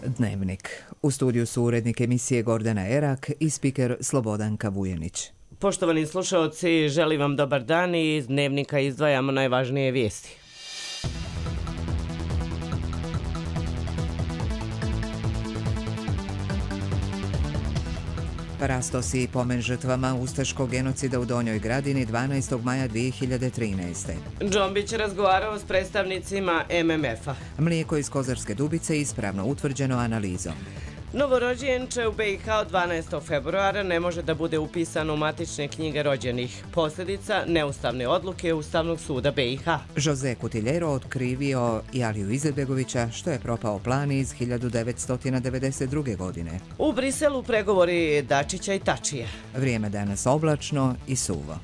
Dnevnik. U studiju su urednik emisije Gordana Erak i spiker Slobodanka Vujenić. Poštovani slušaoci, želim vam dobar dan i iz Dnevnika izdvajamo najvažnije vijesti. Parastos i pomen žrtvama ustaškog genocida u Donjoj Gradini 12. maja 2013. Džombić razgovarao s predstavnicima MMF-a. Mlijeko iz Kozarske Dubice ispravno utvrđeno analizom. Novorođenče u BiH od 12. februara ne može da bude upisano u matične knjige rođenih. Posljedica neustavne odluke Ustavnog suda BiH. Jose Kutiljero otkrivio Aliju Izetbegovića što je propao plan iz 1992. godine. U Briselu pregovori Dačića i Tačija. Vrijeme danas oblačno i suvo.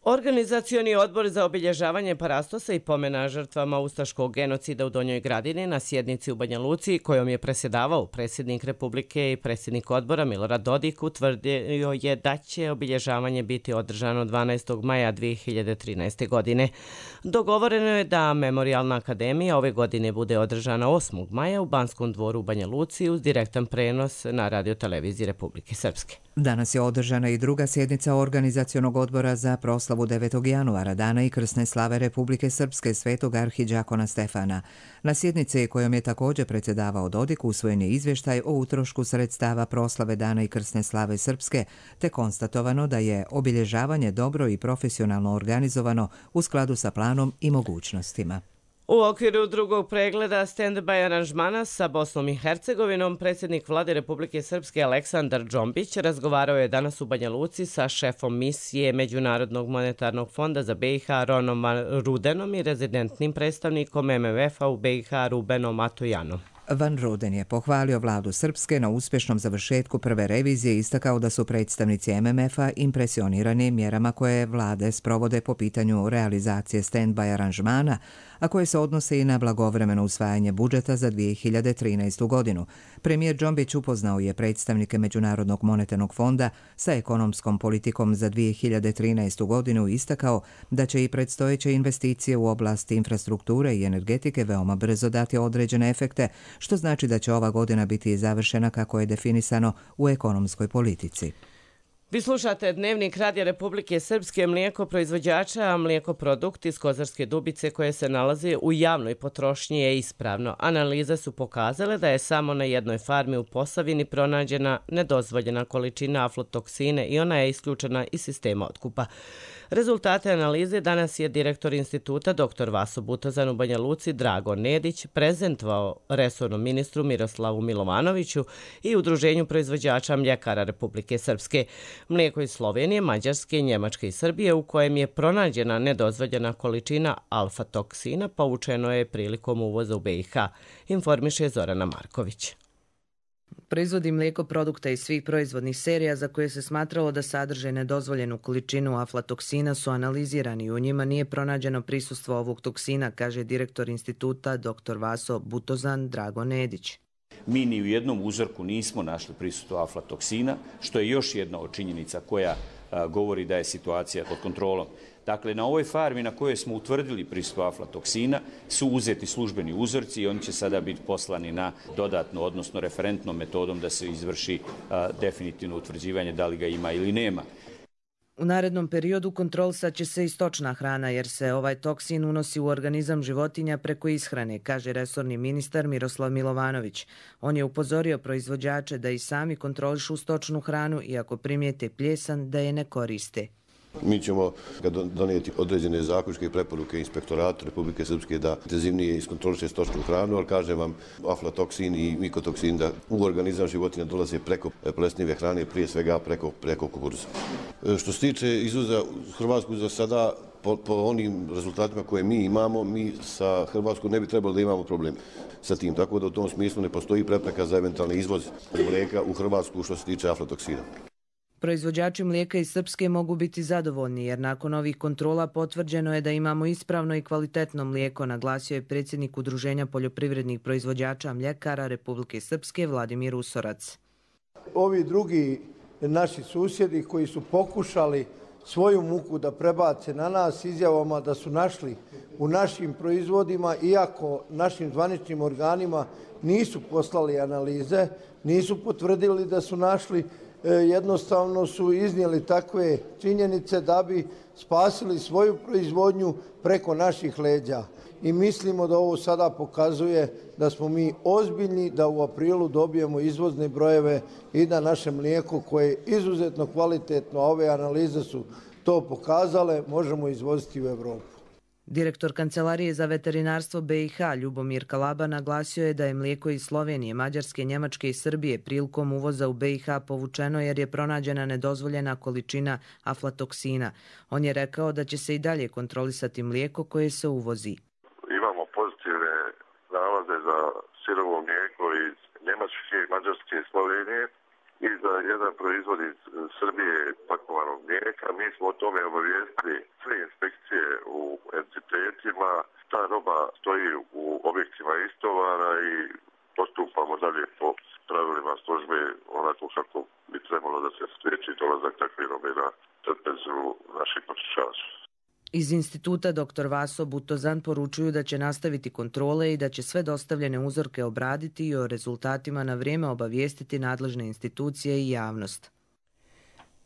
Organizacioni odbor za obilježavanje Parastosa i pomena žrtvama ustaškog genocida u Donjoj Gradini na sjednici u Banja Luci, kojom je predsjedavao predsjednik Republike i predsjednik odbora Milorad Dodik, utvrdio je da će obilježavanje biti održano 12. maja 2013. godine. Dogovoreno je da Memorijalna akademija ove godine bude održana 8. maja u Banskom dvoru u Banja Luci uz direktan prenos na radioteleviziji Republike Srpske. Danas je održana i druga sjednica Organizacionog odbora za proslavu 9. januara, dana i krsne slave Republike Srpske svetog arhidžakona Stefana. Na sjednici kojom je također predsjedavao Dodik usvojen je izvještaj o utrošku sredstava proslave dana i krsne slave Srpske, te konstatovano da je obilježavanje dobro i profesionalno organizovano u skladu sa planom i mogućnostima. U okviru drugog pregleda stand-by aranžmana sa Bosnom i Hercegovinom, predsjednik vlade Republike Srpske Aleksandar Džombić razgovarao je danas u Banja Luci sa šefom misije Međunarodnog monetarnog fonda za BiH Ronom Rudenom i rezidentnim predstavnikom MMF-a u BiH Rubenom Matojanom. Van Ruden je pohvalio vladu Srpske na uspješnom završetku prve revizije i istakao da su predstavnici MMF-a impresionirani mjerama koje vlade sprovode po pitanju realizacije stand-by aranžmana, a koje se odnose i na blagovremeno usvajanje budžeta za 2013. godinu. Premijer Džombić upoznao je predstavnike Međunarodnog monetarnog fonda sa ekonomskom politikom za 2013. godinu i istakao da će i predstojeće investicije u oblasti infrastrukture i energetike veoma brzo dati određene efekte, što znači da će ova godina biti završena kako je definisano u ekonomskoj politici. Vi slušate Dnevnik Radija Republike Srpske. Mlijeko proizvođača, a mlijeko produkt iz Kozarske Dubice koje se nalazi u javnoj potrošnji je ispravno. Analize su pokazale da je samo na jednoj farmi u Posavini pronađena nedozvoljena količina aflatoksine i ona je isključena iz sistema otkupa. Rezultate analize danas je direktor instituta dr. Vaso Butozan u Banja Luci Drago Nedić prezentovao resornom ministru Miroslavu Milovanoviću i Udruženju proizvođača mljekara Republike Srpske. Mlijeko iz Slovenije, Mađarske, Njemačke i Srbije u kojem je pronađena nedozvoljena količina alfa-toksina povučeno je prilikom uvoza u BiH, informiše Zorana Marković. Proizvodi mlijeko produkta iz svih proizvodnih serija za koje se smatralo da sadrže nedozvoljenu količinu aflatoksina su analizirani i u njima nije pronađeno prisustvo ovog toksina, kaže direktor instituta dr. Vaso Butozan Drago Nedić. Mi ni u jednom uzorku nismo našli prisustvo aflatoksina, što je još jedna od činjenica koja govori da je situacija pod kontrolom. Dakle, na ovoj farmi na kojoj smo utvrdili prisustvo aflatoksina su uzeti službeni uzorci i oni će sada biti poslani na dodatno, odnosno referentnom metodom da se izvrši definitivno utvrđivanje da li ga ima ili nema. U narednom periodu kontrolisat će se i stočna hrana jer se ovaj toksin unosi u organizam životinja preko ishrane, kaže resorni ministar Miroslav Milovanović. On je upozorio proizvođače da i sami kontrolišu stočnu hranu i ako primijete pljesan da je ne koriste. Mi ćemo donijeti određene zaključke i preporuke Inspektoratu Republike Srpske da intenzivnije iskontroliše stočnu hranu, ali kažem vam, aflatoksin i mikotoksin da u organizam životinja dolaze preko plesnive hrane, prije svega preko kukuruza. Što se tiče izvoza Hrvatsku za sada, po onim rezultatima koje mi imamo, mi sa Hrvatskom ne bi trebalo da imamo problem sa tim, tako da u tom smislu ne postoji prepreka za eventualni izvoz mlijeka u Hrvatsku što se tiče aflatoksina. Proizvođači mlijeka iz Srpske mogu biti zadovoljni jer nakon ovih kontrola potvrđeno je da imamo ispravno i kvalitetno mlijeko, naglasio je predsjednik Udruženja poljoprivrednih proizvođača mljekara Republike Srpske Vladimir Usorac. Ovi drugi naši susjedi koji su pokušali svoju muku da prebace na nas izjavama da su našli u našim proizvodima, iako našim zvaničnim organima nisu poslali analize, nisu potvrdili da su našli, jednostavno su iznijeli takve činjenice da bi spasili svoju proizvodnju preko naših leđa. I mislimo da ovo sada pokazuje da smo mi ozbiljni, da u aprilu dobijemo izvozne brojeve i da naše mlijeko koje je izuzetno kvalitetno, a ove analize su to pokazale, možemo izvoziti u Evropu. Direktor Kancelarije za veterinarstvo BiH Ljubomir Kalaba naglasio je da je mlijeko iz Slovenije, Mađarske, Njemačke i Srbije prilikom uvoza u BiH povučeno jer je pronađena nedozvoljena količina aflatoksina. On je rekao da će se i dalje kontrolisati mlijeko koje se uvozi. Imamo pozitivne nalaze za sirovo mlijeko iz Njemačke, Mađarske i Slovenije i za jedan proizvod iz Srbije pakovanog mlijeka. Mi smo o tome obavijestili sve inspekcije u entitetima. Ta roba stoji u objektima istovara i postupamo dalje po pravilima službe onako kako bi trebalo da se spriječi dolazak takve robe na trpezu naših potrošača. Iz instituta dr. Vaso Butozan poručuju da će nastaviti kontrole i da će sve dostavljene uzorke obraditi i o rezultatima na vrijeme obavijestiti nadležne institucije i javnost.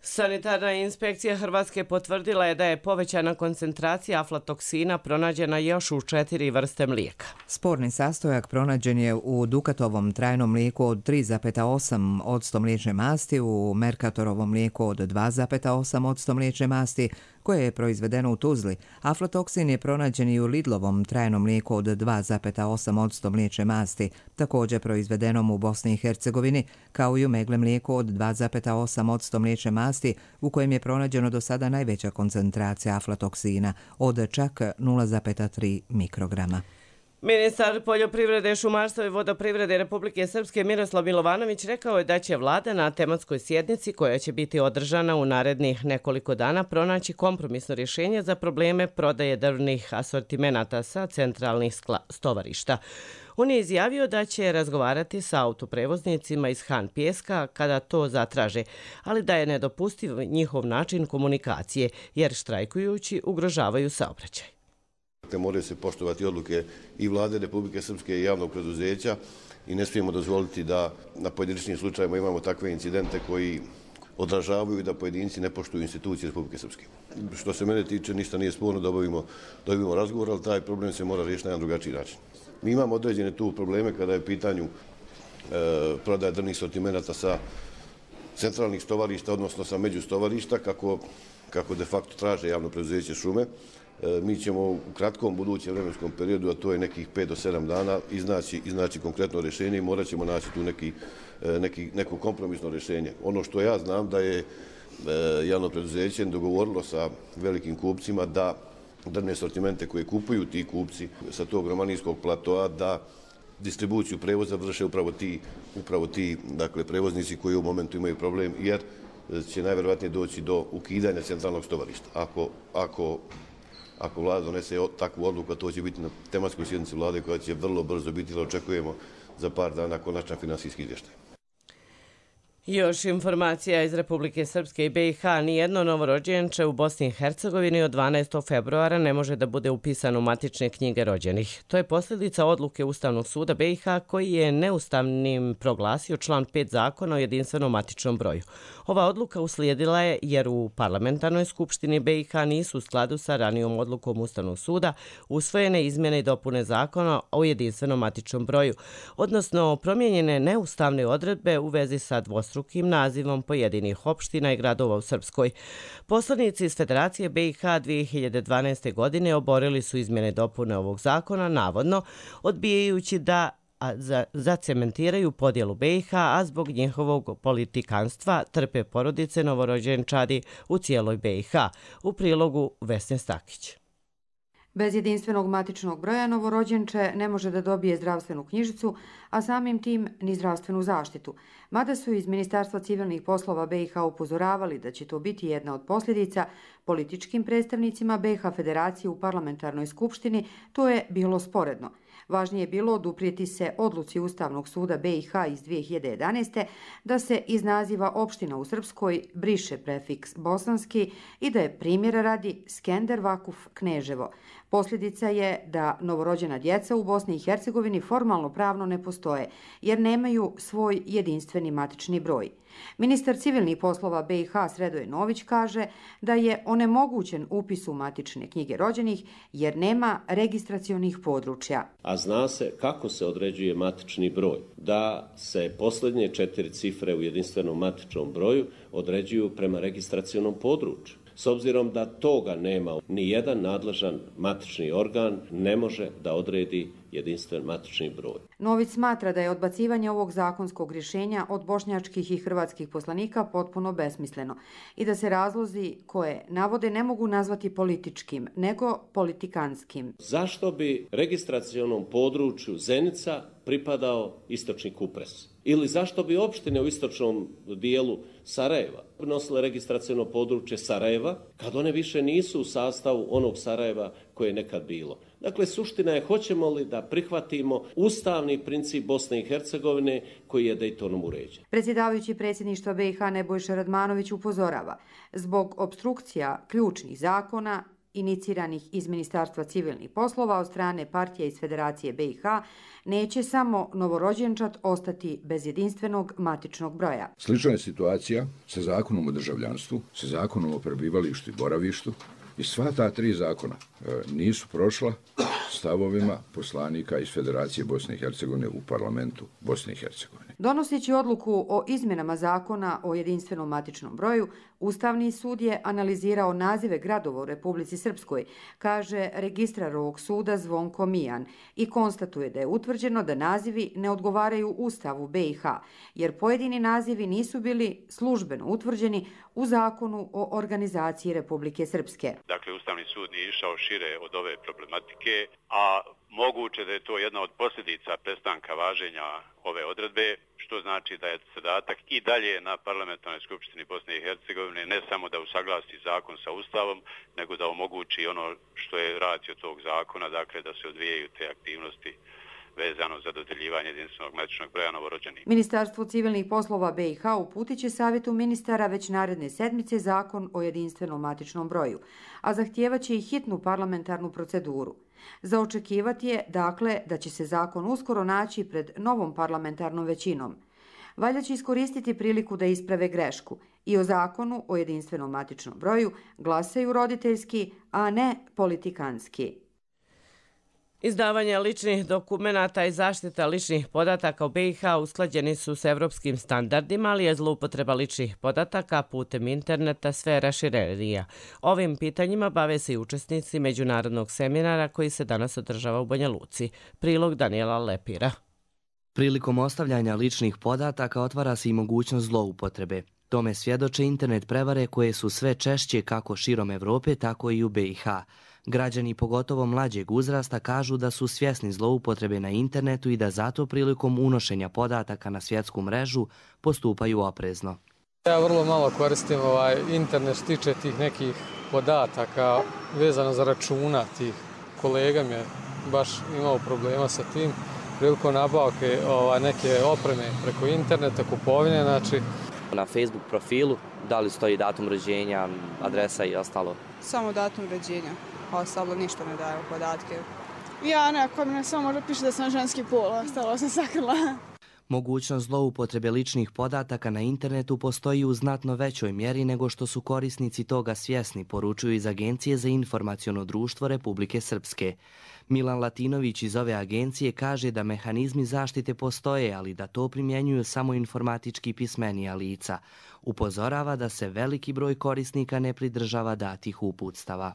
Sanitarna inspekcija Hrvatske potvrdila je da je povećana koncentracija aflatoksina pronađena još u 4 vrste mlijeka. Sporni sastojak pronađen je u Dukatovom trajnom mlijeku od 3,8% mliječne masti, u Mercatorovom mlijeku od 2,8% mliječne masti, koje je proizvedeno u Tuzli. Aflatoksin je pronađen i u Lidlovom trajnom mlijeku od 2,8% mliječne masti, također proizvedenom u Bosni i Hercegovini, kao i u Megle mlijeku od 2,8% mliječne masti, u kojem je pronađeno do sada najveća koncentracija aflatoksina od čak 0,3 mikrograma. Ministar poljoprivrede, šumarstva i vodoprivrede Republike Srpske Miroslav Milovanović rekao je da će vlada na tematskoj sjednici koja će biti održana u narednih nekoliko dana pronaći kompromisno rješenje za probleme prodaje drvnih asortimenata sa centralnih stovarišta. On je izjavio da će razgovarati sa autoprevoznicima iz Han Pijeska kada to zatraže, ali da je nedopustiv njihov način komunikacije jer štrajkujući ugrožavaju saobraćaj. Moraju se poštovati odluke i vlade Republike Srpske i javnog preduzeća i ne smijemo dozvoliti da na pojedinačnim slučajevima imamo takve incidente koji odražavaju da pojedinci ne poštuju institucije Republike Srpske. Što se mene tiče, ništa nije sporno da obavimo razgovor, ali taj problem se mora riješiti na jedan drugačiji način. Mi imamo određene tu probleme kada je u pitanju prodaja drvnih sortimenata sa centralnih stovarišta, odnosno sa međustovarišta, kako de facto traže javno preduzeće šume. Mi ćemo u kratkom budućem vremenskom periodu, a to je nekih 5 do 7 dana, iznaći konkretno rješenje i morat ćemo naći tu neko kompromisno rješenje. Ono što ja znam da je javno preduzeće dogovorilo sa velikim kupcima da drvne sortimente koje kupuju ti kupci sa tog romanijskog platoa, da distribuciju prevoza vrše upravo ti dakle, prevoznici koji u momentu imaju problem, jer će najvjerojatnije doći do ukidanja centralnog stovarišta. Ako vlada donese takvu odluku, a to će biti na tematskoj sjednici vlade koja će vrlo brzo biti, jer očekujemo za par dana konačan finansijski izvještaj. Još informacija iz Republike Srpske i BiH. Nijedno novorođenče u Bosni i Hercegovini od 12. februara ne može da bude upisano u matične knjige rođenih. To je posljedica odluke Ustavnog suda BiH koji je neustavnim proglasio član 5 zakona o jedinstvenom matičnom broju. Ova odluka uslijedila je jer u parlamentarnoj skupštini BiH nisu u skladu sa ranijom odlukom Ustavnog suda usvojene izmjene i dopune zakona o jedinstvenom matičnom broju, odnosno promijenjene neustavne odredbe u vezi sa dvostrukim nazivom pojedinih opština i gradova u Srpskoj. Poslanici iz Federacije BiH 2012. godine oborili su izmjene i dopune ovog zakona, navodno odbijajući da zacementiraju podjelu BiH, a zbog njihovog politikanstva trpe porodice novorođenčadi u cijeloj BiH. U prilogu Vesne Stakić. Bez jedinstvenog matičnog broja novorođenče ne može da dobije zdravstvenu knjižicu, a samim tim ni zdravstvenu zaštitu. Mada su iz Ministarstva civilnih poslova BiH upozoravali da će to biti jedna od posljedica, političkim predstavnicima BiH Federacije u parlamentarnoj skupštini to je bilo sporedno. Važnije je bilo oduprijeti se odluci Ustavnog suda BiH iz 2011. da se iz naziva opština u Srpskoj briše prefiks bosanski i da je primjera radi Skender Vakuf Kneževo. Posljedica je da novorođena djeca u Bosni i Hercegovini formalno pravno ne postoje, jer nemaju svoj jedinstveni matični broj. Ministar civilnih poslova BiH Sredoje Nović kaže da je onemogućen upis u matične knjige rođenih jer nema registracionih područja. A zna se kako se određuje matični broj, da se posljednje 4 cifre u jedinstvenom matičnom broju određuju prema registracionom području. S obzirom da toga nema, ni jedan nadležan matični organ ne može da odredi jedinstven matični broj. Nović smatra da je odbacivanje ovog zakonskog rješenja od bošnjačkih i hrvatskih poslanika potpuno besmisleno i da se razlozi koje navode ne mogu nazvati političkim, nego politikanskim. Zašto bi registracionom području Zenica pripadao istočni Kupres? Ili zašto bi opštine u istočnom dijelu Sarajeva nosile registraciono područje Sarajeva, kad one više nisu u sastavu onog Sarajeva koje je nekad bilo? Dakle, suština je hoćemo li da prihvatimo ustavni princip Bosne i Hercegovine koji je Dejtonom uređen. Predsjedavajući predsjedništva BiH Nebojša Radmanović upozorava, zbog opstrukcija ključnih zakona iniciranih iz Ministarstva civilnih poslova od strane partija iz Federacije BiH, neće samo novorođenčad ostati bez jedinstvenog matičnog broja. Slična je situacija sa zakonom o državljanstvu, sa zakonom o prebivalištu i boravištu i sva ta 3 zakona nisu prošla stavovima poslanika iz Federacije Bosne i Hercegovine u parlamentu Bosne i Hercegovine. Donoseći odluku o izmjenama zakona o jedinstvenom matičnom broju, Ustavni sud je analizirao nazive gradova u Republici Srpskoj, kaže registrar ovog suda Zvonko Mijan, i konstatuje da je utvrđeno da nazivi ne odgovaraju Ustavu BiH, jer pojedini nazivi nisu bili službeno utvrđeni u zakonu o organizaciji Republike Srpske. Dakle, Ustavni sud nije išao šire od ove problematike, a moguće da je to jedna od posljedica prestanka važenja ove odredbe, što znači da je zadatak i dalje na Parlamentarnoj skupštini Bosne i Hercegovine ne samo da usaglasi zakon sa Ustavom, nego da omogući ono što je ratio tog zakona, dakle da se odvijaju te aktivnosti vezano za dodeljivanje jedinstvenog matičnog broja novorođenih. Ministarstvo civilnih poslova BiH uputit će savjetu ministara već naredne sedmice zakon o jedinstvenom matičnom broju, a zahtijevaće i hitnu parlamentarnu proceduru. Za očekivati je, dakle, da će se zakon uskoro naći pred novom parlamentarnom većinom. Valja će iskoristiti priliku da isprave grešku i o zakonu o jedinstvenom matičnom broju glasaju roditeljski, a ne politikanski. Izdavanje ličnih dokumenata i zaštita ličnih podataka u BiH usklađeni su s evropskim standardima, ali je zloupotreba ličnih podataka putem interneta sve raširenija. Ovim pitanjima bave se i učesnici međunarodnog seminara koji se danas održava u Banja Luci. Prilog Daniela Lepira. Prilikom ostavljanja ličnih podataka otvara se i mogućnost zloupotrebe. Tome svjedoče internet prevare koje su sve češće kako širom Evrope, tako i u BiH. Građani, pogotovo mlađeg uzrasta, kažu da su svjesni zloupotrebe na internetu i da zato prilikom unošenja podataka na svjetsku mrežu postupaju oprezno. Ja vrlo malo koristim internet što tiče tih nekih podataka vezano za računa tih. Kolega mi je baš imao problema sa tim prilikom nabavke neke opreme preko interneta, kupovine, znači. Na Facebook profilu, da li stoji datum rođenja, adresa i ostalo? Samo datum rođenja, ostalo ništa ne daje podatke. Ja nekako mi samo možda piše da sam ženski pol, ostalo sam sakrila. Mogućnost zloupotrebe ličnih podataka na internetu postoji u znatno većoj mjeri nego što su korisnici toga svjesni, poručuju iz Agencije za informaciono društvo Republike Srpske. Milan Latinović iz ove agencije kaže da mehanizmi zaštite postoje, ali da to primjenjuju samo informatički pismenija lica. Upozorava da se veliki broj korisnika ne pridržava datih uputstava.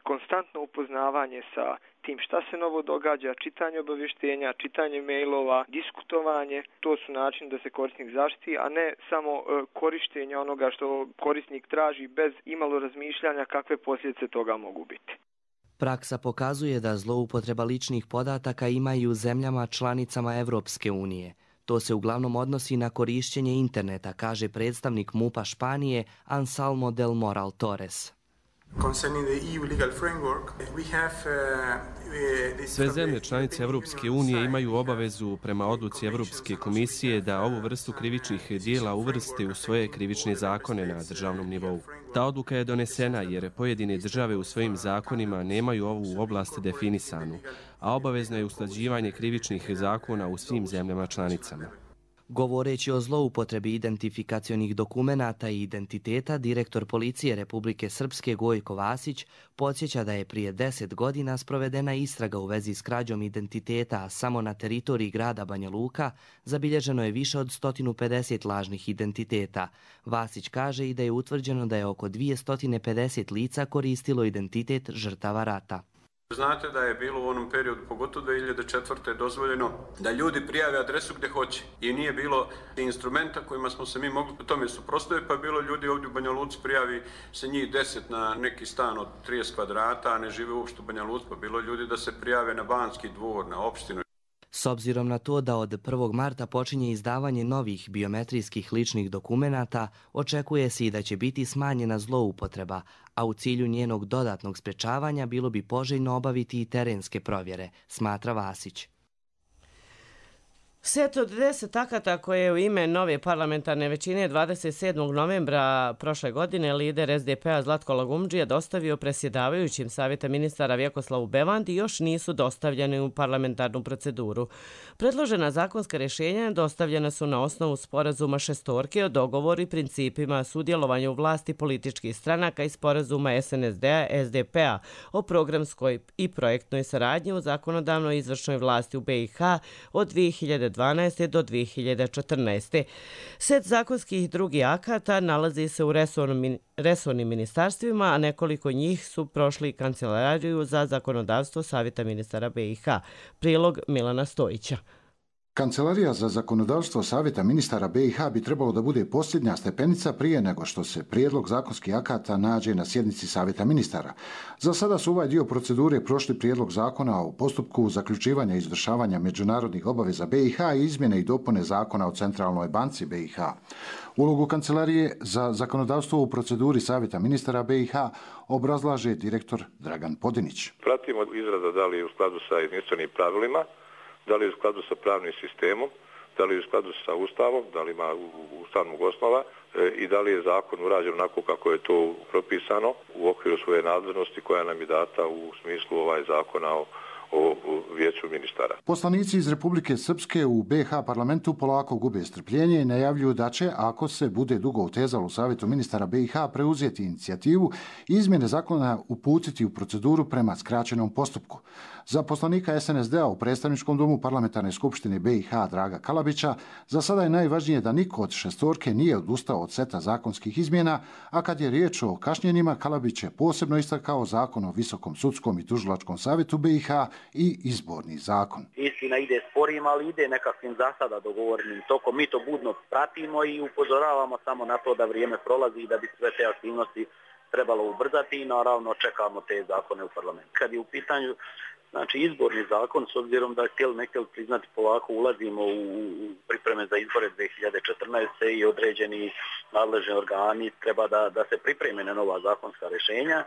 Konstantno upoznavanje sa tim šta se novo događa, čitanje obavještenja, čitanje mailova, diskutovanje, to su načini da se korisnik zaštiti, a ne samo korištenje onoga što korisnik traži bez imalo razmišljanja kakve posljedice toga mogu biti. Praksa pokazuje da zloupotreba ličnih podataka ima i u zemljama članicama Evropske unije. To se uglavnom odnosi na korišćenje interneta, kaže predstavnik MUP-a Španije Anselmo del Moral Torres. Sve zemlje članice Evropske unije imaju obavezu prema odluci Evropske komisije da ovu vrstu krivičnih dijela uvrste u svoje krivične zakone na državnom nivou. Ta odluka je donesena jer pojedine države u svojim zakonima nemaju ovu oblast definisanu, a obavezno je usklađivanje krivičnih zakona u svim zemljama članicama. Govoreći o zloupotrebi identifikacionih dokumenata i identiteta, direktor policije Republike Srpske Gojko Vasić podsjeća da je prije 10 godina sprovedena istraga u vezi s krađom identiteta, a samo na teritoriji grada Banja Luka zabilježeno je više od 150 lažnih identiteta. Vasić kaže i da je utvrđeno da je oko 250 lica koristilo identitet žrtava rata. Znate da je bilo u onom periodu, pogotovo 2004. dozvoljeno da ljudi prijave adresu gdje hoće i nije bilo instrumenta kojima smo se mi mogli tome suprotstaviti, pa je bilo ljudi ovdje u Banja Luci prijavi se njih 10 na neki stan od 30 kvadrata, a ne žive uopšte u Banja Luci, pa bilo ljudi da se prijave na Banski dvor, na opštinu. S obzirom na to da od 1. marta počinje izdavanje novih biometrijskih ličnih dokumenata, očekuje se i da će biti smanjena zloupotreba, a u cilju njenog dodatnog sprečavanja bilo bi poželjno obaviti i terenske provjere, smatra Vasić. Set od 10 akata koje je u ime nove parlamentarne većine 27. novembra prošle godine lider SDP-a Zlatko Lagumdžija dostavio predsjedavajućim Savjeta ministara Vjekoslavu Bevandi još nisu dostavljeni u parlamentarnu proceduru. Predložena zakonska rješenja dostavljena su na osnovu sporazuma šestorke o dogovoru i principima sudjelovanja u vlasti političkih stranaka i sporazuma SNSD-a SDP-a o programskoj i projektnoj saradnji u zakonodavnoj i izvršnoj vlasti u BiH od 2012. do 2014. Set zakonskih i drugih akata nalazi se u resornim ministarstvima, a nekoliko njih su prošli Kancelariju za zakonodavstvo Savjeta ministara BiH. Prilog Milana Stojića. Kancelarija za zakonodavstvo Savjeta ministara BiH bi trebalo da bude posljednja stepenica prije nego što se prijedlog zakonskih akata nađe na sjednici Savjeta ministara. Za sada su ovaj dio procedure prošli prijedlog zakona o postupku zaključivanja i izvršavanja međunarodnih obaveza BiH i izmjene i dopune zakona o Centralnoj banci BiH. Ulogu Kancelarije za zakonodavstvo u proceduri Savjeta ministara BiH obrazlaže direktor Dragan Podinić. Pratimo izrada da li je u skladu sa jedinstvenim pravilima, da li je u skladu sa pravnim sistemom, da li je u skladu sa Ustavom, da li ima ustavnog osnova i da li je zakon urađen onako kako je to propisano u okviru svoje nadležnosti koja nam je data u smislu ovaj zakona o vijeću ministara. Poslanici iz Republike Srpske u BiH parlamentu polako gube strpljenje i najavljuju da će, ako se bude dugo utezalo u Savjetu ministara BiH, preuzeti inicijativu i izmjene zakona uputiti u proceduru prema skraćenom postupku. Za poslanika SNSD-a u predstavničkom domu Parlamentarne skupštine BiH Draga Kalabića za sada je najvažnije da niko od šestorke nije odustao od seta zakonskih izmjena, a kad je riječ o kašnjenjima, Kalabić je posebno istakao zakon o Visokom sudskom i tužilačkom savjetu BiH i izborni zakon. Istina ide sporim, ali ide nekakvim za sada dogovorenim tokom. Mi to budno pratimo i upozoravamo samo na to da vrijeme prolazi i da bi sve te aktivnosti trebalo ubrzati i naravno čekamo te zakone u parlamentu. Kad je u pitanju izborni zakon, s obzirom da htjeli ne htjeli priznati, polako ulazimo u pripreme za izbore 2014. i određeni nadležni organi treba da se pripreme na nova zakonska rješenja.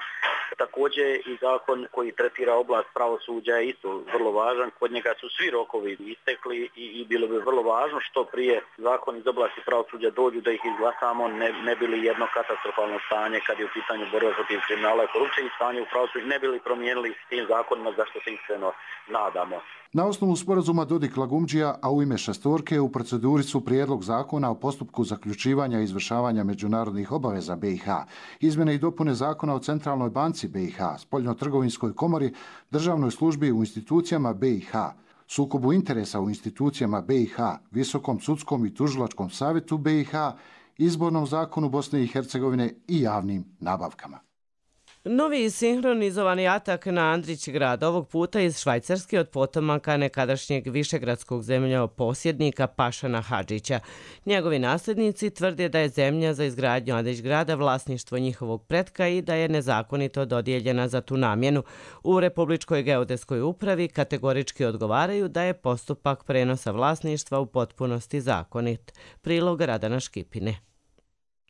Također i zakon koji tretira oblast pravosuđa je isto vrlo važan. Kod njega su svi rokovi istekli i bilo bi vrlo važno što prije zakon iz oblasti pravosuđa dođu da ih izglasamo, ne bi li jedno katastrofalno stanje kad je u pitanju borba protiv kriminala i korupcije i stanje u pravosuđu ne bi li promijenili s tim zakonima zašto se iskreno nadamo. Na osnovu sporazuma Dodik-Lagumdžija, a u ime šestorke u proceduri su prijedlog zakona o postupku zaključivanja i izvršavanja međunarodnih obaveza BiH, izmjene i dopune zakona o Centralnoj banci BiH, Spoljno-trgovinskoj komori, državnoj službi u institucijama BiH, sukobu interesa u institucijama BiH, Visokom sudskom i tužilačkom savjetu BiH, izbornom zakonu Bosne i Hercegovine i javnim nabavkama. Novi sinhronizovani atak na Andrić grad, ovog puta iz Švajcarske od potomaka nekadašnjeg višegradskog zemljoposjednika Pašana Hadžića. Njegovi nasljednici tvrde da je zemlja za izgradnju Andrić grada vlasništvo njihovog pretka i da je nezakonito dodijeljena za tu namjenu. U Republičkoj geodetskoj upravi kategorički odgovaraju da je postupak prenosa vlasništva u potpunosti zakonit. Prilog Radana Škipine.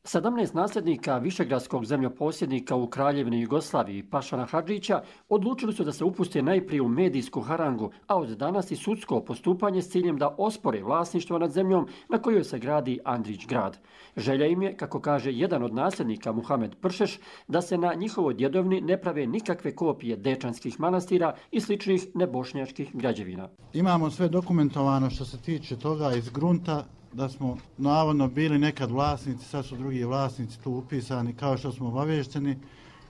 17 nasljednika višegradskog zemljoposjednika u Kraljevini Jugoslaviji Pašana Hadžića odlučili su da se upuste najprije u medijsku harangu, a od danas i sudsko postupanje s ciljem da ospore vlasništvo nad zemljom na kojoj se gradi Andrić grad. Želja im je, kako kaže jedan od nasljednika Muhamed Pršeš, da se na njihovoj djedovni ne prave nikakve kopije dečanskih manastira i sličnih nebošnjačkih građevina. Imamo sve dokumentovano što se tiče toga iz grunta, da smo navodno bili nekad vlasnici, sad su drugi vlasnici tu upisani, kao što smo obavešteni.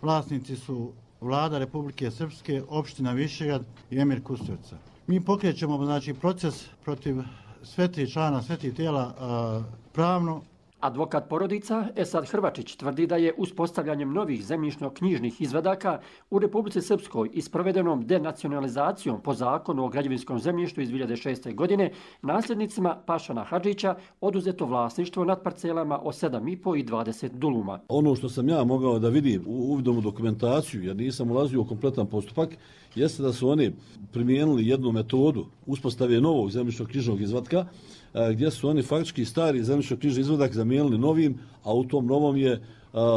Vlasnici su Vlada Republike Srpske, opština Višegrad i Emir Kusturica. Mi pokrećemo proces protiv svetih člana, svetih tijela pravno. Advokat porodica Esad Hrvačić tvrdi da je uspostavljanjem novih zemljišno-knjižnih izvadaka u Republici Srpskoj i sprovedenom denacionalizacijom po zakonu o građevinskom zemljištu iz 2006. godine nasljednicima Pašana Hadžića oduzeto vlasništvo nad parcelama o 7,5 i 20 duluma. Ono što sam ja mogao da vidim u uvidom u dokumentaciju, jer nisam ulazio u kompletan postupak, jeste da su oni primijenili jednu metodu uspostave novog zemljišno-knjižnog izvatka, gdje su oni faktički stari zemljišno-knjižni izvadak zamijenili novim, a u tom novom je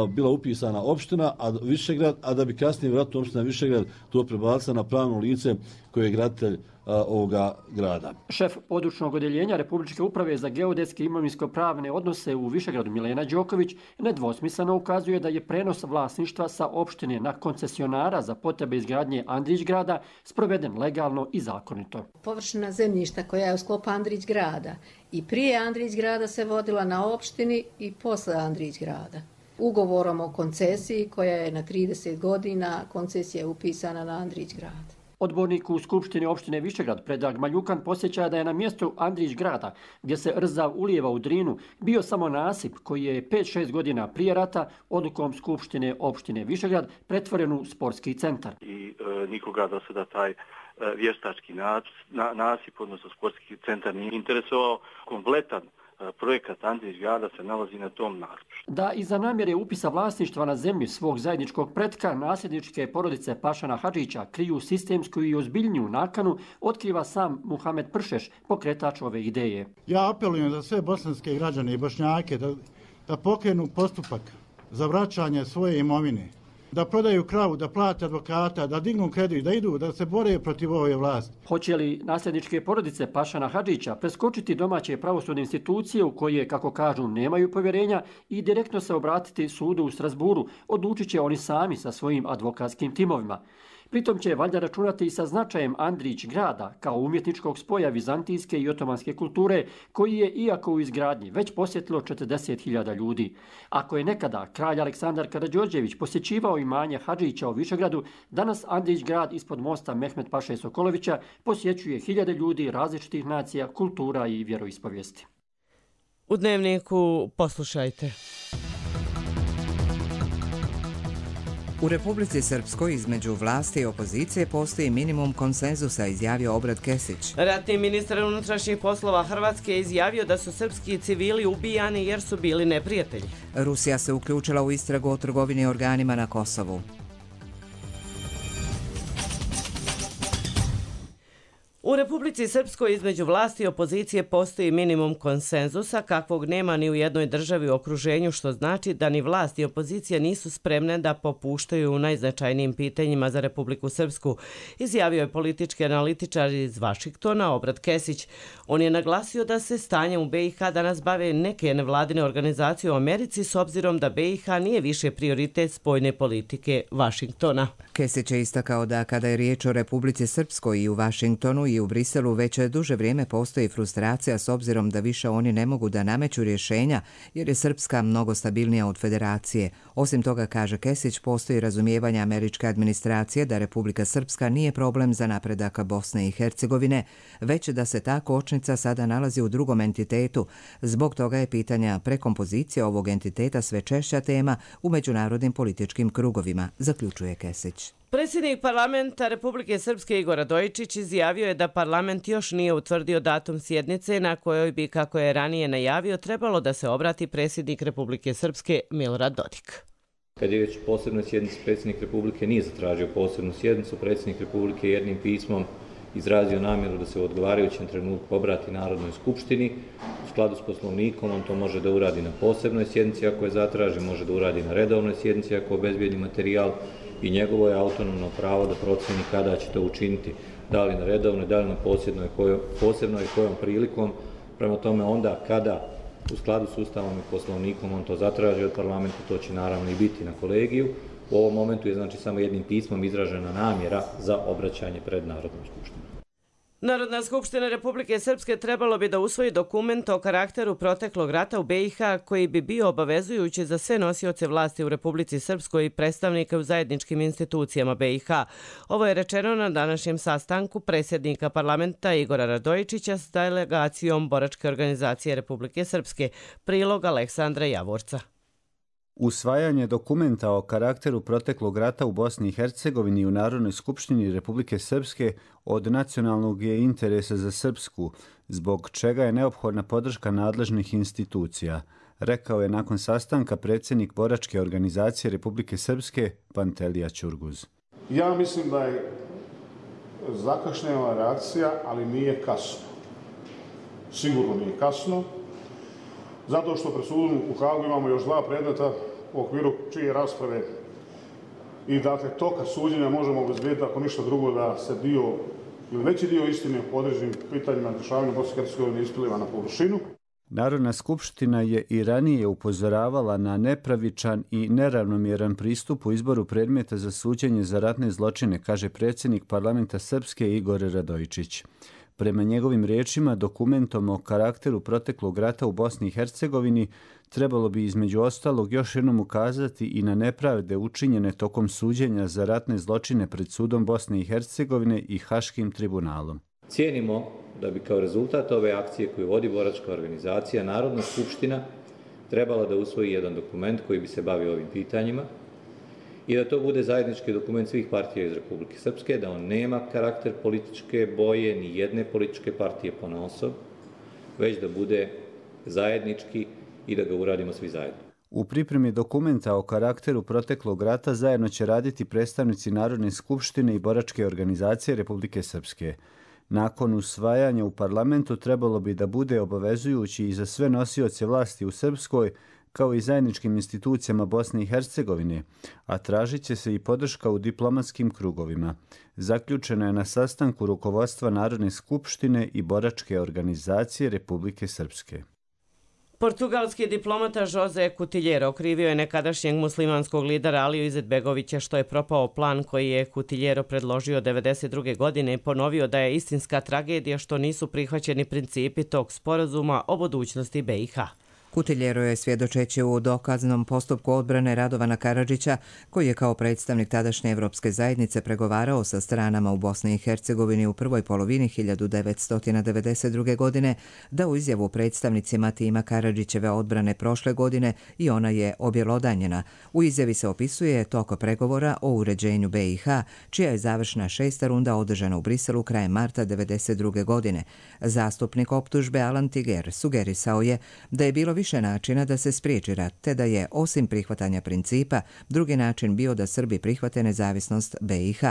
bila upisana opština Višegrad, a da bi kasnije vjerojatno opština Višegrad to prebacila na pravno lice koje je graditelj ovoga grada. Šef područnog odjeljenja Republičke uprave za geodetske i imovinsko-pravne odnose u Višegradu Milena Đoković nedvosmisleno ukazuje da je prenos vlasništva sa opštine na koncesionara za potrebe izgradnje Andrić grada sproveden legalno i zakonito. Površina zemljišta koja je u sklopu Andrić grada i prije Andrić grada se vodila na opštini i posle Andrić grada. Ugovorom o koncesiji koja je na 30 godina, koncesija je upisana na Andrić grad. Odbornik u Skupštini opštine Višegrad Predrag Maljukan posjeća da je na mjestu Andrić grada, gdje se Rzav ulijeva u Drinu, bio samo nasip koji je 5-6 godina prije rata odlukom Skupštine opštine Višegrad pretvoren u sportski centar. I nikoga do sada taj vještački nasip, odnosno sportski centar, nije interesovao. Kompletan projekat Andrić grada se nalazi na tom nasipu. Da iza namjere upisa vlasništva na zemlji svog zajedničkog pretka nasljedničke porodice Pašana Hadžića kriju sistemsku i ozbiljniju nakanu, otkriva sam Muhamed Pršeš, pokretač ove ideje. Ja apelujem za sve bosanske građane i Bošnjake da pokrenu postupak za vraćanje svoje imovine, da prodaju kravu, da plate advokata, da dignu kredit, da idu, da se bore protiv ove vlasti. Hoće li nasljedničke porodice Pašana Hadžića preskočiti domaće pravosudne institucije u koje, kako kažu, nemaju povjerenja i direktno se obratiti sudu u Strasburu, odlučit će oni sami sa svojim advokatskim timovima. Pritom će valjda računati i sa značajem Andrić grada kao umjetničkog spoja vizantijske i otomanske kulture koji je, iako u izgradnji, već posjetilo 40.000 ljudi. Ako je nekada kralj Aleksandar Karađorđević posjećivao imanje Hadžića u Višegradu, danas Andrić grad ispod mosta Mehmet Paše Sokolovića posjećuje hiljade ljudi različitih nacija, kultura i vjeroispovijesti. U Dnevniku poslušajte. U Republici Srpskoj između vlasti i opozicije postoji minimum konsenzusa, izjavio Obrad Kesić. Ratni ministar unutrašnjih poslova Hrvatske je izjavio da su srpski civili ubijani jer su bili neprijatelji. Rusija se uključila u istragu o trgovini organima na Kosovu. U Republici Srpskoj između vlasti i opozicije postoji minimum konsenzusa kakvog nema ni u jednoj državi u okruženju, što znači da ni vlast i opozicija nisu spremne da popuštaju u najznačajnijim pitanjima za Republiku Srpsku, izjavio je politički analitičar iz Vašingtona Obrad Kesić. On je naglasio da se stanjem u BiH danas bave neke nevladine organizacije u Americi s obzirom da BiH nije više prioritet spoljne politike Vašingtona. Kesić je istakao da kada je riječ o Republici Srpskoj i u Vašingtonu i u Briselu već duže vrijeme postoji frustracija s obzirom da više oni ne mogu da nameću rješenja jer je Srpska mnogo stabilnija od federacije. Osim toga, kaže Kesić, postoji razumijevanje američke administracije da Republika Srpska nije problem za napredak Bosne i Hercegovine, već da se ta kočnica sada nalazi u drugom entitetu. Zbog toga je pitanja prekompozicije ovog entiteta sve češća tema u međunarodnim političkim krugovima, zaključuje Kesić. Predsjednik parlamenta Republike Srpske Igor Radojičić izjavio je da parlament još nije utvrdio datum sjednice na kojoj bi, kako je ranije najavio, trebalo da se obrati predsjednik Republike Srpske Milorad Dodik. Kad je već posebnoj sjednici predsjednik Republike nije zatražio posebnu sjednicu, predsjednik Republike jednim pismom izrazio namjeru da se u odgovarajućem trenutku obrati Narodnoj skupštini. U skladu s poslovnikom on to može da uradi na posebnoj sjednici ako je zatraži, može da uradi na redovnoj sjednici ako obezbijedi materijal i njegovo je autonomno pravo da procjeni kada će to učiniti, da li na redovnoj, da li na posebnoj i kojom prilikom. Prema tome onda kada u skladu s Ustavom i poslovnikom on to zatraži od parlamenta, to će naravno i biti na kolegiju. U ovom momentu je znači samo jednim pismom izražena namjera za obraćanje pred Narodnom skupštinom. Narodna skupština Republike Srpske trebalo bi da usvoji dokument o karakteru proteklog rata u BiH koji bi bio obavezujući za sve nosioce vlasti u Republici Srpskoj i predstavnike u zajedničkim institucijama BiH. Ovo je rečeno na današnjem sastanku predsjednika parlamenta Igora Radojičića s delegacijom Boračke organizacije Republike Srpske. Prilog Aleksandra Javorca. Usvajanje dokumenta o karakteru proteklog rata u Bosni i Hercegovini i u Narodnoj skupštini Republike Srpske od nacionalnog je interesa za Srpsku, zbog čega je neophodna podrška nadležnih institucija, rekao je nakon sastanka predsjednik Boračke organizacije Republike Srpske Pantelija Ćurguz. Ja mislim da je zakašnjela reakcija, ali nije kasno. Sigurno nije kasno. Zato što pred sudom u Hagu imamo još 2 predmeta u okviru čije rasprave i dakle toka suđenja možemo obezbediti ako ništa drugo da se dio ili veći dio istine po određenim pitanjima dešavanja Bosne i Hercegovine ispliva na površinu. Narodna skupština je i ranije upozoravala na nepravičan i neravnomjeran pristup u izboru predmeta za suđenje za ratne zločine, kaže predsjednik parlamenta Srpske Igor Radojičić. Prema njegovim riječima, dokumentom o karakteru proteklog rata u Bosni i Hercegovini trebalo bi između ostalog još jednom ukazati i na nepravde učinjene tokom suđenja za ratne zločine pred sudom Bosne i Hercegovine i Haškim tribunalom. Cijenimo da bi kao rezultat ove akcije koju vodi Boračka organizacija Narodna skupština trebala da usvoji jedan dokument koji bi se bavio ovim pitanjima i da to bude zajednički dokument svih partija iz Republike Srpske, da on nema karakter političke boje, ni jedne političke partije ponaosob, već da bude zajednički i da ga uradimo svi zajedno. U pripremi dokumenta o karakteru proteklog rata zajedno će raditi predstavnici Narodne skupštine i Boračke organizacije Republike Srpske. Nakon usvajanja u parlamentu trebalo bi da bude obavezujući i za sve nosioce vlasti u Srpskoj, kao i zajedničkim institucijama Bosne i Hercegovine, a tražit će se i podrška u diplomatskim krugovima. Zaključeno je na sastanku rukovodstva Narodne skupštine i Boračke organizacije Republike Srpske. Portugalski diplomata Jose Coutinho okrivio je nekadašnjeg muslimanskog lidera Aliju Izetbegovića što je propao plan koji je Coutinho predložio 1992. godine i ponovio da je istinska tragedija što nisu prihvaćeni principi tog sporazuma o budućnosti BiH. Coutinho je svjedočeći u dokaznom postupku odbrane Radovana Karadžića, koji je kao predstavnik tadašnje Evropske zajednice pregovarao sa stranama u Bosni i Hercegovini u prvoj polovini 1992. godine, dao izjavu predstavnicima tima Karadžićeve odbrane prošle godine i ona je objelodanjena. U izjavi se opisuje tok pregovora o uređenju BiH, čija je završna 6. runda održana u Briselu krajem marta 1992. godine. Zastupnik optužbe Alan Tiger sugerisao je da je bilo više načina da se spriječi rat, te da je, osim prihvatanja principa, drugi način bio da Srbi prihvate nezavisnost BiH.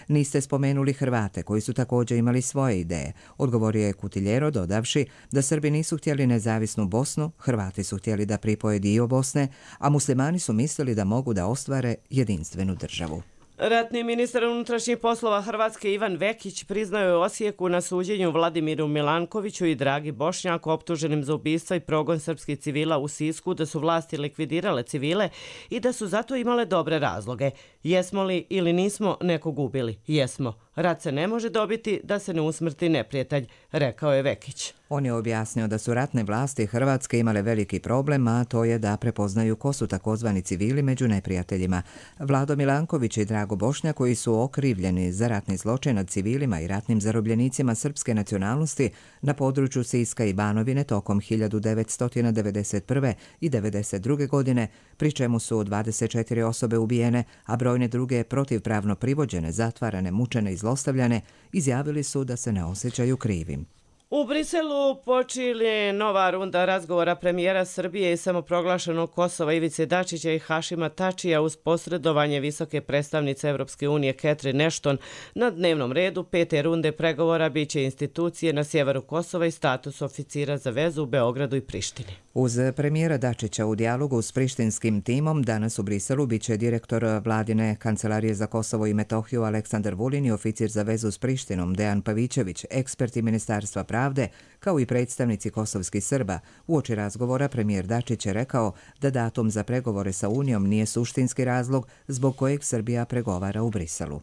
Niste spomenuli Hrvate, koji su također imali svoje ideje, odgovorio je Coutinho, dodavši da Srbi nisu htjeli nezavisnu Bosnu, Hrvati su htjeli da pripoje dio Bosne, a muslimani su mislili da mogu da ostvare jedinstvenu državu. Ratni ministar unutrašnjih poslova Hrvatske Ivan Vekić priznao je u Osijeku na suđenju Vladimiru Milankoviću i Dragi Bošnjaku optuženim za ubistva i progon srpskih civila u Sisku da su vlasti likvidirale civile i da su zato imale dobre razloge. Jesmo li ili nismo nekog ubili? Jesmo. Rat se ne može dobiti da se ne usmrti neprijatelj, rekao je Vekić. On je objasnio da su ratne vlasti Hrvatske imale veliki problem, a to je da prepoznaju ko su takozvani civili među neprijateljima. Vlado Milanković i Drago Bošnjak, koji su okrivljeni za ratni zločin nad civilima i ratnim zarobljenicima srpske nacionalnosti na području Siska i Banovine tokom 1991. i 1992. godine, pri čemu su 24 osobe ubijene, a brojne druge protivpravno privođene, zatvarane, mučene i zlostavljane, izjavili su da se ne osjećaju krivim. U Briselu počinje nova runda razgovora premijera Srbije i samoproglašenog Kosova Ivice Dačića i Hašima Tačija uz posredovanje visoke predstavnice Evropske unije Catherine Ashton. Na dnevnom redu 5. runde pregovora biće institucije na sjeveru Kosova i status oficira za vezu u Beogradu i Prištini. Uz premijera Dačića u dijalogu s prištinskim timom danas u Briselu biće direktor vladine Kancelarije za Kosovo i Metohiju Aleksandar Vulin i oficir za vezu s Prištinom Dejan Pavićević, eksperti Ministarstva pravde, kao i predstavnici kosovskih Srba. Uoči razgovora premijer Dačić je rekao da datum za pregovore sa Unijom nije suštinski razlog zbog kojeg Srbija pregovara u Briselu.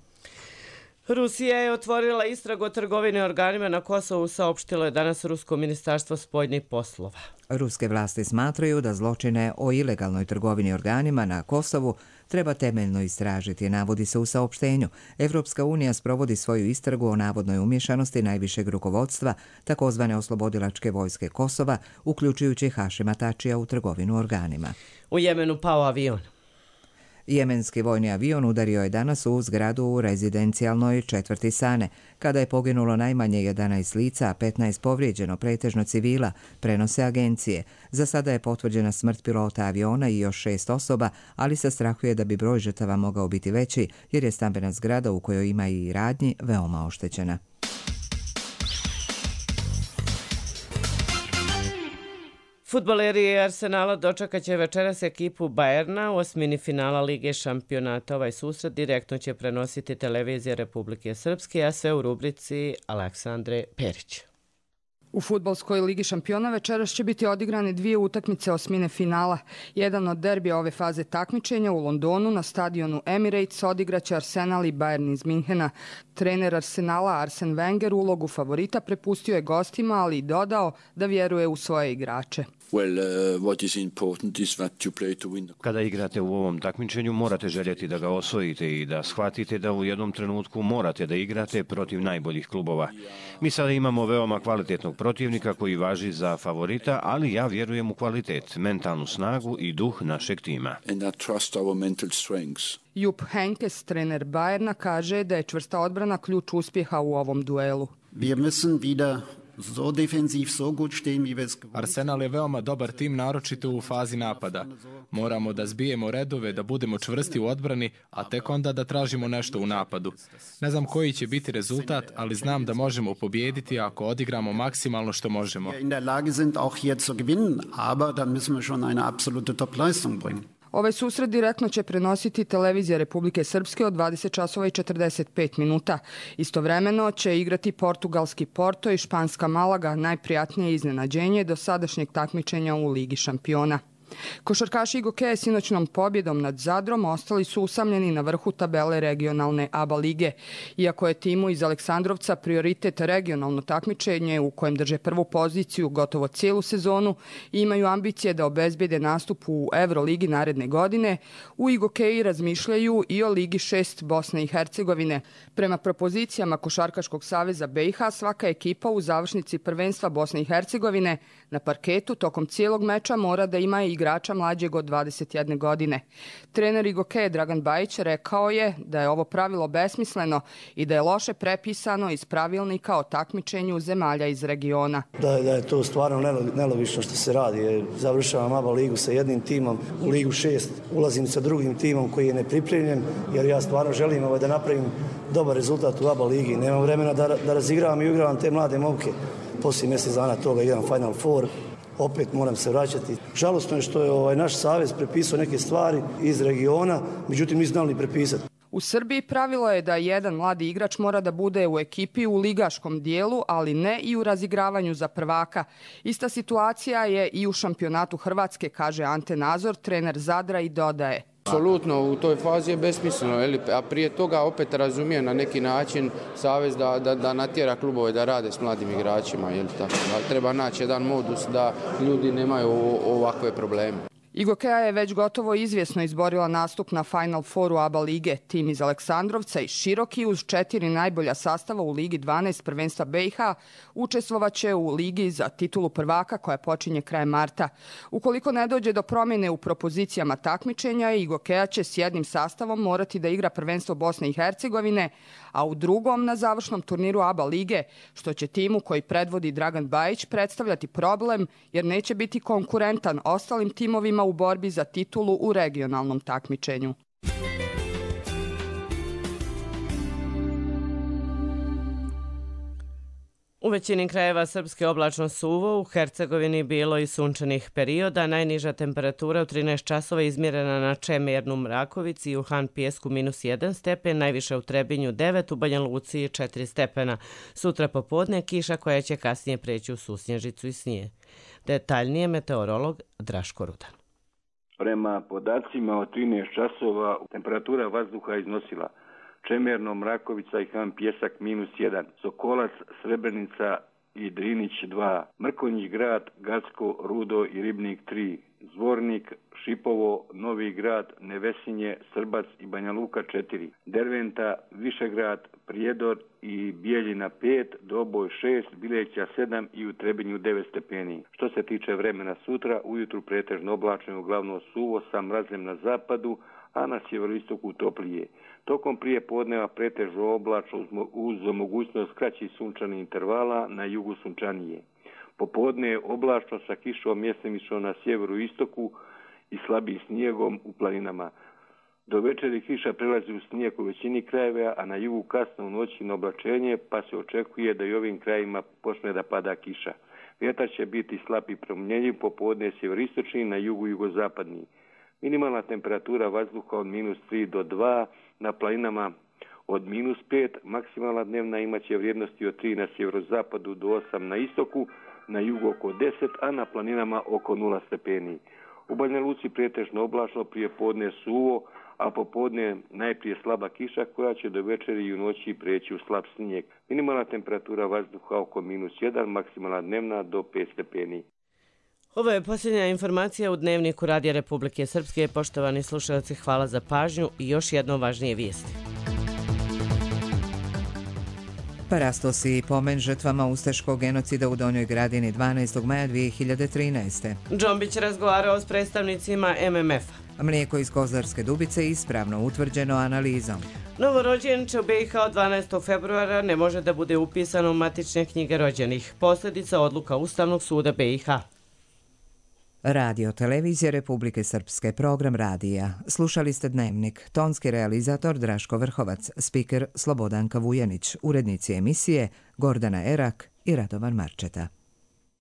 Rusija je otvorila istragu o trgovini organima na Kosovu, saopštilo je danas Rusko ministarstvo spoljnih poslova. Ruske vlasti smatraju da zločine o ilegalnoj trgovini organima na Kosovu treba temeljno istražiti, navodi se u saopštenju. Evropska unija sprovodi svoju istragu o navodnoj umješanosti najvišeg rukovodstva takozvane oslobodilačke vojske Kosova, uključujući Hašima Tačija u trgovinu organima. U Jemenu pao avion. Jemenski vojni avion udario je danas u zgradu u rezidencijalnoj četvrti Sane, kada je poginulo najmanje 11 lica, a 15 povrijeđeno, pretežno civila, prenose agencije. Za sada je potvrđena smrt pilota aviona i još 6 osoba, ali se strahuje da bi broj žrtava mogao biti veći, jer je stambena zgrada u kojoj ima i radnji veoma oštećena. Fudbaleri Arsenala dočekat će večeras ekipu Bayerna u osmini finala Lige šampionata. Ovaj susret direktno će prenositi televizija Republike Srpske, a sve u rubrici Aleksandre Perić. U fudbalskoj Ligi šampiona večeras će biti odigrane 2 utakmice osmine finala. Jedan od derbija ove faze takmičenja u Londonu na stadionu Emirates odigraće Arsenal i Bayern iz Minhena. Trener Arsenala Arsene Wenger ulogu favorita prepustio je gostima, ali i dodao da vjeruje u svoje igrače. Kada igrate u ovom takmičenju morate željeti da ga osvojite i da shvatite da u jednom trenutku morate da igrate protiv najboljih klubova. Mi sada imamo veoma kvalitetnog protivnika koji važi za favorita, ali ja vjerujem u kvalitet, mentalnu snagu i duh našeg tima. Jupp Heynckes, trener Bayerna, kaže da je čvrsta odbrana ključ uspjeha u ovom duelu. Arsenal je veoma dobar tim, naročito u fazi napada. Moramo da zbijemo redove, da budemo čvrsti u odbrani, a tek onda da tražimo nešto u napadu. Ne znam koji će biti rezultat, ali znam da možemo pobijediti ako odigramo maksimalno što možemo. Ovaj susret direktno će prenositi televizija Republike Srpske od 20 časova i 45 minuta. Istovremeno će igrati portugalski Porto i španska Malaga, najprijatnije iznenađenje do sadašnjeg takmičenja u Ligi šampiona. Košarkaši Igokeje sinoćnom pobjedom nad Zadrom ostali su usamljeni na vrhu tabele regionalne ABA lige. Iako je timu iz Aleksandrovca prioritet regionalno takmičenje u kojem drže prvu poziciju gotovo cijelu sezonu i imaju ambicije da obezbijede nastup u Euroligi naredne godine, u Igokeji razmišljaju i o Ligi 6 Bosne i Hercegovine. Prema propozicijama Košarkaškog saveza BiH, svaka ekipa u završnici prvenstva Bosne i Hercegovine na parketu tokom cijelog meča mora da ima i igrača mlađeg od 21 godine. Trener Igokeje Dragan Bajić rekao je da je ovo pravilo besmisleno i da je loše prepisano iz pravilnika o takmičenju zemalja iz regiona. Da je to stvarno nelogično što se radi. Završavam ABA ligu sa jednim timom, u Ligu 6 ulazim sa drugim timom koji je nepripremljen, jer ja stvarno želim da napravim dobar rezultat u ABA ligi. Nemam vremena da razigravam i uigravam te mlade momke. Poslije mjesec dana toga idem Final Four. Opet moram se vraćati. Žalostno je što je naš savez prepisao neke stvari iz regiona, međutim nismo znali prepisati. U Srbiji pravilo je da jedan mladi igrač mora da bude u ekipi u ligaškom dijelu, ali ne i u razigravanju za prvaka. Ista situacija je i u šampionatu Hrvatske, kaže Ante Nazor, trener Zadra, i dodaje. Apsolutno u toj fazi je besmisleno, a prije toga opet razumijem na neki način savez da natjera klubove da rade s mladim igračima. Da treba naći jedan modus da ljudi nemaju ovakve probleme. IGOKEA je već gotovo izvjesno izborila nastup na Final Fouru ABA lige. Tim iz Aleksandrovca i Široki uz 4 najbolja sastava u Ligi 12 prvenstva BiH učestvovaće u Ligi za titulu prvaka koja počinje krajem marta. Ukoliko ne dođe do promjene u propozicijama takmičenja, IGOKEA će s jednim sastavom morati da igra prvenstvo Bosne i Hercegovine, a u drugom na završnom turniru ABA lige, što će timu koji predvodi Dragan Bajić predstavljati problem jer neće biti konkurentan ostalim timovima u borbi za titulu u regionalnom takmičenju. U većini krajeva Srpske oblačno suvo, u Hercegovini bilo i sunčanih perioda. Najniža temperatura u 13 časova izmjerena na Čemernu Mrakovici i u Han Pijesku -1 stepen, najviše u Trebinju 9, u Banja Luci 4 stepena. Sutra popodne kiša koja će kasnije preći u susnježicu i snijeg. Detaljnije meteorolog Draško Rudan. Prema podacima od 13 časova temperatura vazduha iznosila Čemerno, Mrakovica i Han Pijesak -1, Sokolac, Srebrenica i Drinić 2, Mrkonjić Grad, Gacko, Rudo i Ribnik 3, Zvornik, Šipovo, Novi Grad, Nevesinje, Srbac i Banja Luka 4, Derventa, Višegrad, Prijedor i Bijeljina 5, Doboj 6, Bileća 7 i u Trebinju 9 stepeni. Što se tiče vremena sutra, ujutru pretežno oblačno, uglavnom suvo sa mrazem na zapadu, a na sjeveroistoku toplije. Tokom prije podneva pretežno oblačno uz mogućnost kraćih sunčanih intervala, na jugu sunčanije. Popodne je oblačno sa kišom mjestimično na sjeveru istoku i slabim snijegom u planinama. Do večeri kiša prelazi u snijeg u većini krajeva, a na jugu kasno u noći na oblačenje, pa se očekuje da i ovim krajima počne da pada kiša. Vjetar će biti slab i promjenjiv, popodne sjeveristočni, na jugu jugozapadni. Minimalna temperatura vazduha od -3 do 2, na planinama od -5, maksimalna dnevna imaće vrijednosti od 3 na sjeverozapadu do 8 na istoku, na jugu oko 10, a na planinama oko 0 stepeni. U Banja Luci pretežno oblačno, prije podne suvo, a popodne najprije slaba kiša koja će do večeri i u noći preći u slab snijeg. Minimalna temperatura vazduha oko -1, maksimalna dnevna do 5 stepeni. Ovo je posljednja informacija u Dnevniku Radija Republike Srpske. Poštovani slušalci, hvala za pažnju i još jedno važnije vijesti. Parastos i pomen žrtvama ustaškog genocida u Donjoj Gradini 12. maja 2013. Džombić razgovarao s predstavnicima MMF-a. Mlijeko iz Kozarske Dubice ispravno utvrđeno analizom. Novorođenče u BiH od 12. februara ne može da bude upisano u matične knjige rođenih. Posljedica odluka Ustavnog suda BiH. Radio Televizija Republike Srpske, program radija. Slušali ste Dnevnik. Tonski realizator Draško Vrhovac, spiker Slobodanka Vujanić, urednici emisije Gordana Erak i Radovan Marčeta.